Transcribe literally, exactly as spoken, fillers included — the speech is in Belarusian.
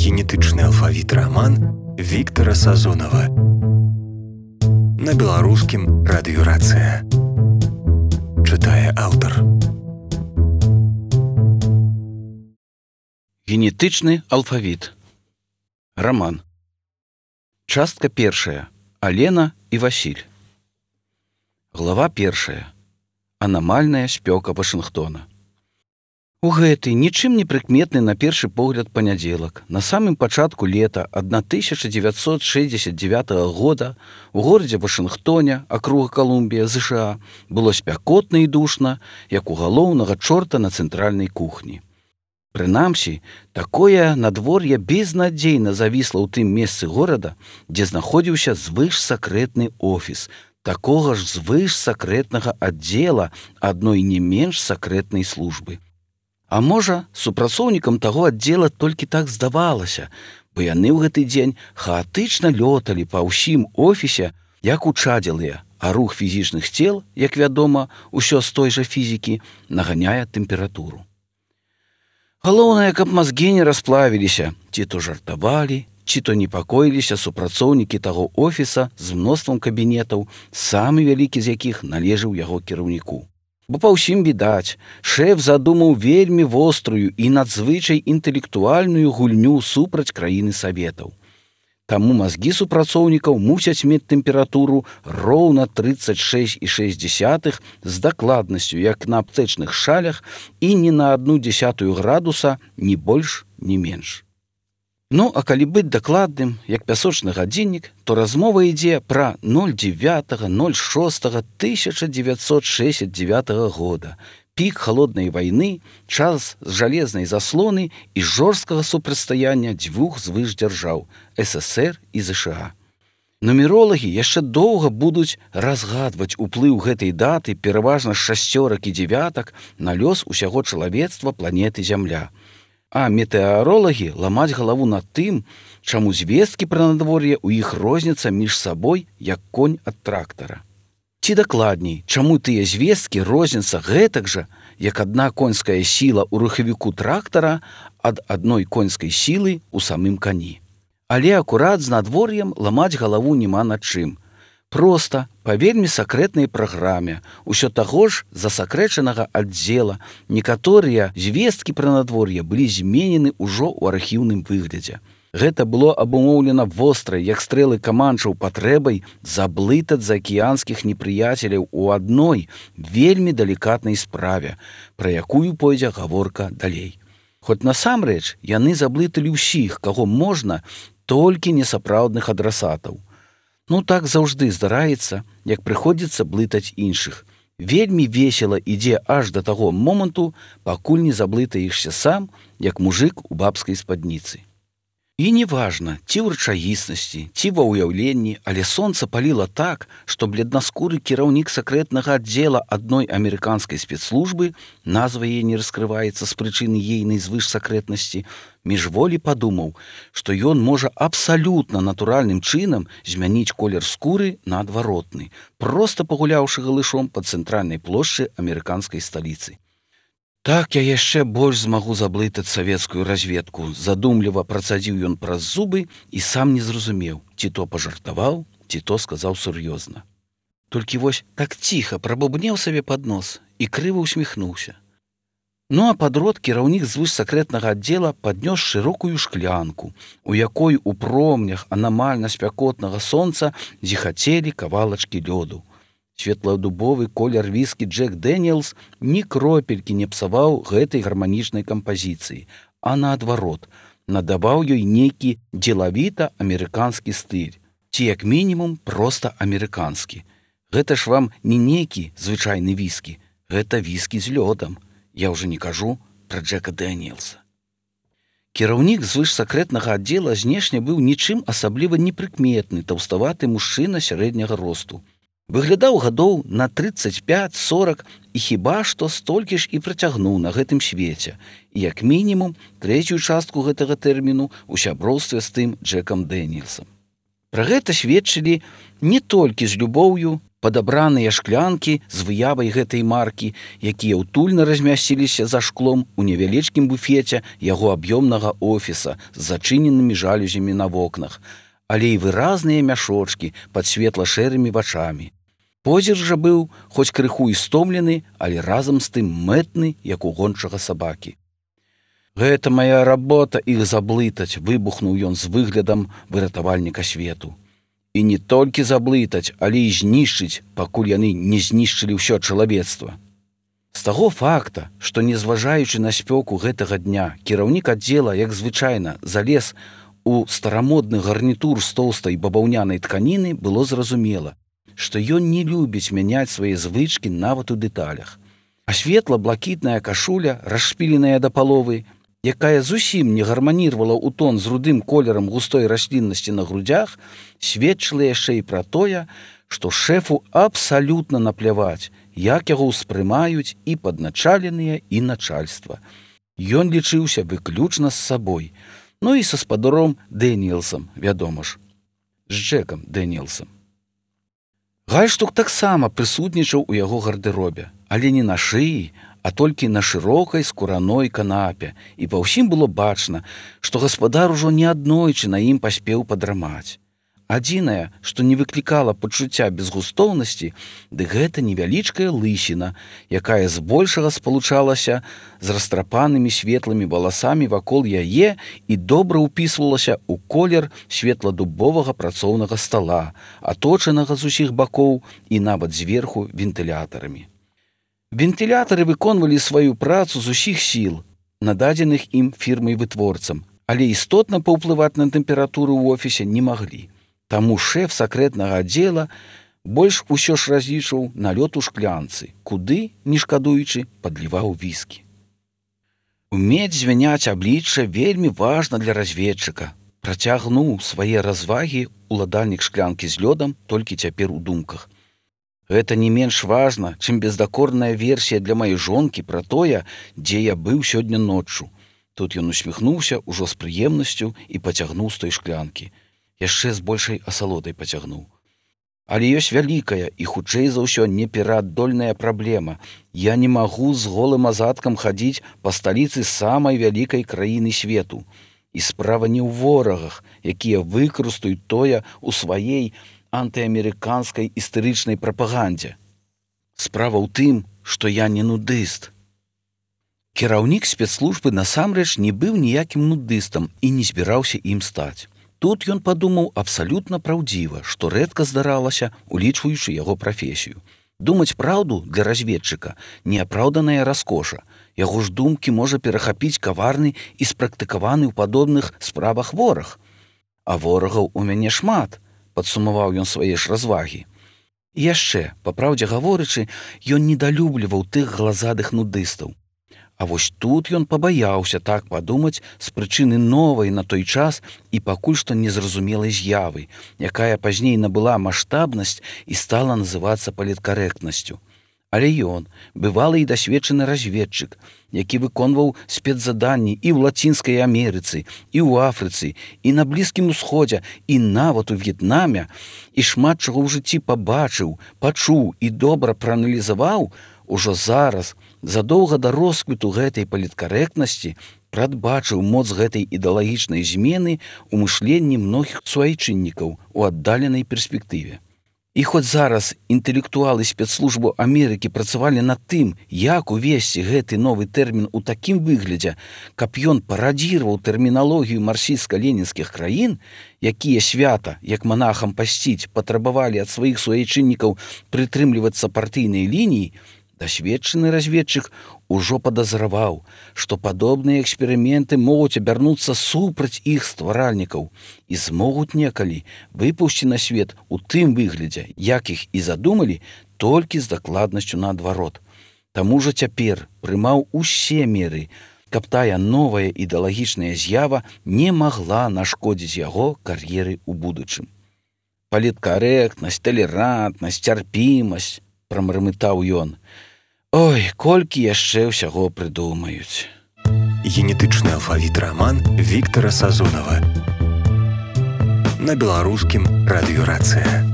Генетычны алфавіт раман Віктара Сазонава. На беларускім радыёрацыя. Чытае аўтар. Генетычны алфавіт. Роман. Частка першая. Алена і Васіль. Глава першая. Анамальная спёка Вашынгтона. У гэты нічым не прыкметны на першы погляд панядзелак, на самым пачатку лета тысяча дзевяцьсот шэсцьдзесят дзевятага года у горадзе Вашынгтоне, акруга Колумбія, ЗША, было спякотна і душна, як у галоўнага чорта на цэнтральнай кухні. Прынамсі, такое надвор'е безнадзейна завісла ў тым месцы горада, дзе знаходзіўся звышсакрэтны офіс, такога ж звышсакрэтнага аддзела адной не менш сакрэтнай службы. А можа, супрацоўнікам таго аддзела толькі так здавалася, бо яны ў гэты дзень хаатычна лёталі па ўсім офісе, як учадзелыя, а рух фізічных цел, як вядома, усё з той жа фізікі, наганяе тэмпературу. Галоўнае, каб мазгі не расплавіліся, ці то жартавалі, ці то непакоіліся супрацоўнікі таго офіса з мноствам кабінетаў, самы вялікі з якіх належаў яго кіраўніку. Бо па ўсім відаць, шэф задумаў вельмі вострую і надзвычай інтэлектуальную гульню супраць краіны Саветаў. Таму мазгі супрацоўнікаў мусяць мець тэмпературу роўна трыццаць шэсць і шэсць дзесятых з дакладнасцю, як на аптэчных шалях, і не на адну дзесятую градуса, ні больш, ні менш. Ну, а калі быць дакладным, як пясочны гадзіннік, то размова ідзе пра девятое ноль шестое тысяча девятьсот шэсцьдзесят девятага года, пік халоднай вайны, час жалезнай заслоны і жорсткага супрацьстаяння дзвюх звышдзяржаў СССР і ЗША. Нумеролагі яшчэ доўга будуць разгадваць уплыў гэтай даты пераважна шасцёрак і дзевятак на лёс усяго чалавецтва планеты Зямля. А метэаролагі ламаць галаву над тым, чаму звесткі пра надвор'е ў іх розняцца між сабой, як конь ад трактара. Ці дакладней, чаму тыя звесткі розняцца гэтак жа, як адна конская сіла ў рухавіку трактара ад адной конскай сілы ў самым кані. Але акурат з надвор'ем ламаць галаву няма над чым. Проста, па вельмі сакрэтнай праграме, усё таго ж засакрэчанага аддзела, некаторыя звесткі пра надвор'е былі зменены ўжо ў архіўным выглядзе. Гэта было абумоўлена вострай, як стрэлы каманчаў патрэбай заблытаць заакіянскіх непрыяцеляў у адной вельмі далікатнай справе, пра якую пойдзе гаворка далей. Хоць насамрэч яны заблыталі ўсіх, каго можна, толькі несапраўдных адрасатаў. Ну так заўжды здараецца, як прыходзіцца блытаць іншых. Вельмі весела ідзе аж да таго моманту, пакуль не заблытаешся сам, як мужык у бабскай спадніцы. І неважна, ці ў рэчаіснасці, ці ва ўяўленні, але сонца паліла так, што бледнаскуры кіраўнік сакрэтнага аддзела адной амерыканскай спецслужбы, назва яе не раскрываецца з прычыны ейнай звышсакрэтнасці, міжволі падумаў, што ён можа абсалютна натуральным чынам змяніць колер скуры на адваротны, проста пагуляўшы галышом па цэнтральнай плошчы амерыканскай сталіцы. Так я яшчэ больш змагу заблытаць савецкую разведку, задумліва працадзіў ён праз зубы і сам не зразумеў, ці то пажартаваў, ці то сказаў сур'ёзна. Толькі вось так ціха прабубнеў сабе пад нос і крыва ўсміхнуўся. Ну а падрод кіраўнік звышсакрэтнага аддзела паднёс шырокую шклянку, у якой у промнях анамальна спякотнага сонца зіхацелі кавалачкі лёду. Светладубовы колер віскі Джек Дэніелс ні кропелькі не псаваў гэтай гарманічнай кампазіцыі, а наадварот, надаваў ёй нейкі дзелавіта-амерыканскі стыль, ці як мінімум проста амерыканскі. Гэта ж вам не нейкі звычайны віскі, гэта віскі з лёдам. Я ўжо не кажу пра Джека Дэніелса. Кіраўнік звышсакрэтнага аддзела знешне быў нічым асабліва непрыкметны таўставаты мужчына сярэдняга росту. Выглядаў гадоў на трыццаць пяць сорак і хіба што столькі ж і працягнуў на гэтым свеце, і як мінімум трэцюю частку гэтага тэрміну ў сяброўстве з тым Джекам Дэніелсам. Пра гэта сведчылі не толькі з любоўю, падабраныя шклянкі з выявай гэтай маркі, якія ўтульна размясціліся за шклом у невялічкім буфеце яго аб'ёмнага офіса з зачыненымі жалюзямі на вокнах, але і выразныя мяшочкі пад светла-шэрымі вачамі. Позір жа быў, хоць крыху і стомлены, але разам з тым мэтны, як у гончага сабакі. «Гэта моя работа іх заблытаць», выбухнуў ён з выглядам выратавальніка свету. «І не толькі заблытаць, але і знішчыць, пакуль яны не знішчылі ўсё чалавецтва». З таго факта, што, незважаючы на спёку гэтага дня, кіраўнік аддзела, як звычайна, залез у старамодны гарнітур з тоўстай бабаўнянай тканіны, было зразумела, што ён не любіць мяняць свае звычкі нават у дэталях. А светла-блакітная кашуля, расшпіленая да паловы, якая зусім не гарманірвала ў тон з рудым колерам густой расліннасці на грудзях, сведчыла яшчэ і пра тое, што шэфу абсалютна напляваць, як яго ўспрымаюць і падначаленыя, і начальства. Ён лічыўся выключна з сабой, ну і са спадаром Дэніелсам, вядома ж, з Джекам Дэніелсам. Гальштук таксама прысутнічаў у яго гардэробе, але не на шыі, а толькі на шырокай скураной канапе, і па ўсім было бачна, што гаспадар ужо неаднойчы на ім паспеў падрамаць. Адзінае, што не выклікала пачуцця безгустоўнасці, дык гэта невялічкая лысіна, якая збольшага спалучалася з растрапанымі светлымі валасамі вакол яе і добра ўпісвалася ў колер светладубовага працоўнага стала, аточанага з усіх бакоў і нават зверху вентылятарамі. Вентылятары выконвалі сваю працу з усіх сіл, нададзеных ім фірмай-вытворцам, але істотна паўплываць на тэмпературу ў офісе не маглі. Таму шэф сакрэтнага аддзела больш усё ж разлічваў на лёд у шклянцы, куды, не шкадуючы, падліваў віскі. Умець звяняць аблічча вельмі важна для разведчыка. Працягнуў свае развагі уладальнік шклянкі з лёдам толькі цяпер у думках. Гэта не менш важна, чым бездакорная версія для маёй жонкі пра тое, дзе я быў сёння ноччу. Тут ён усміхнуўся ўжо з прыемнасцю і пацягнуў з той шклянкі. Яшчэ з большай асалодай пацягнуў. Але ёсць вялікая і, хутчэй за ўсё, непераадольная праблема. Я не магу з голым азадкам хадзіць па сталіцы самай вялікай краіны свету. І справа не ў ворагах, якія выкарыстаюць тое ў сваей антыамерыканскай істэрычнай прапагандзе. Справа ў тым, што я не нудыст. Кіраўнік спецслужбы насамрэч не быў ніякім нудыстам і не збіраўся ім стаць. Тут ён падумаў абсалютна праўдзіва, што рэдка здаралася, улічваючы яго прафесію. Думаць праўду для разведчыка – неапраўданая раскоша. Яго ж думкі можа перахапіць каварны і спрактыкаваны ў падобных справах вораг. А ворагаў у мяне шмат, падсумаваў ён свае ж развагі. І яшчэ, па праўдзе гаворычы, ён недалюбліваў тых глазадых нудыстаў. А вось тут ён пабаяўся так падумаць з прычыны новай на той час і пакуль што незразумелай з'явы, якая пазней набыла маштабнасць і стала называцца паліткарэктнасцю. Але ён, бывалы і дасведчаны разведчык, які выконваў спецзаданні і ў Лацінскай Амерыцы, і ў Афрыцы, і на Блізкім Усходзе, і нават у В'етнаме, і шмат чаго ў жыцці пабачыў, пачуў і добра прааналізаваў, ужо зараз, задоўга да росквіту гэтай паліткарэктнасці, прадбачыў моц гэтай ідэалагічнай змены ў мышленні многіх суайчыннікаў у аддаленай перспектыве. І хоць зараз інтэлектуалы спецслужбы Амерыкі працавалі над тым, як увесці гэты новы тэрмін у такім выглядзе, каб ён парадзіраваў тэрміналогію марксістска-ленінскіх краін, якія свята, як манахам пасціць, патрабавалі ад сваіх суайчыннікаў прытрымлівацца партыйнай лініі, дасведчаны разведчык ужо падазраваў, што падобныя эксперыменты могуць абярнуцца супраць іх стваральнікаў і змогуць некалі выпусці на свет у тым выглядзе, як іх і задумалі, толькі з дакладнасцю наадварот. Таму жа цяпер прымаў усе меры, каб тая новая ідэалагічная з'ява не магла нашкодзіць яго кар'еры ў будучым. Паліткарэктнасць, талерантнасць, цярпімасць, прамармытаў ён. Ой, колькі яшчэ ўсяго прыдумаюць. Генетычны алфавіт раман Віктара Сазонава. На беларускім радыёрацыя.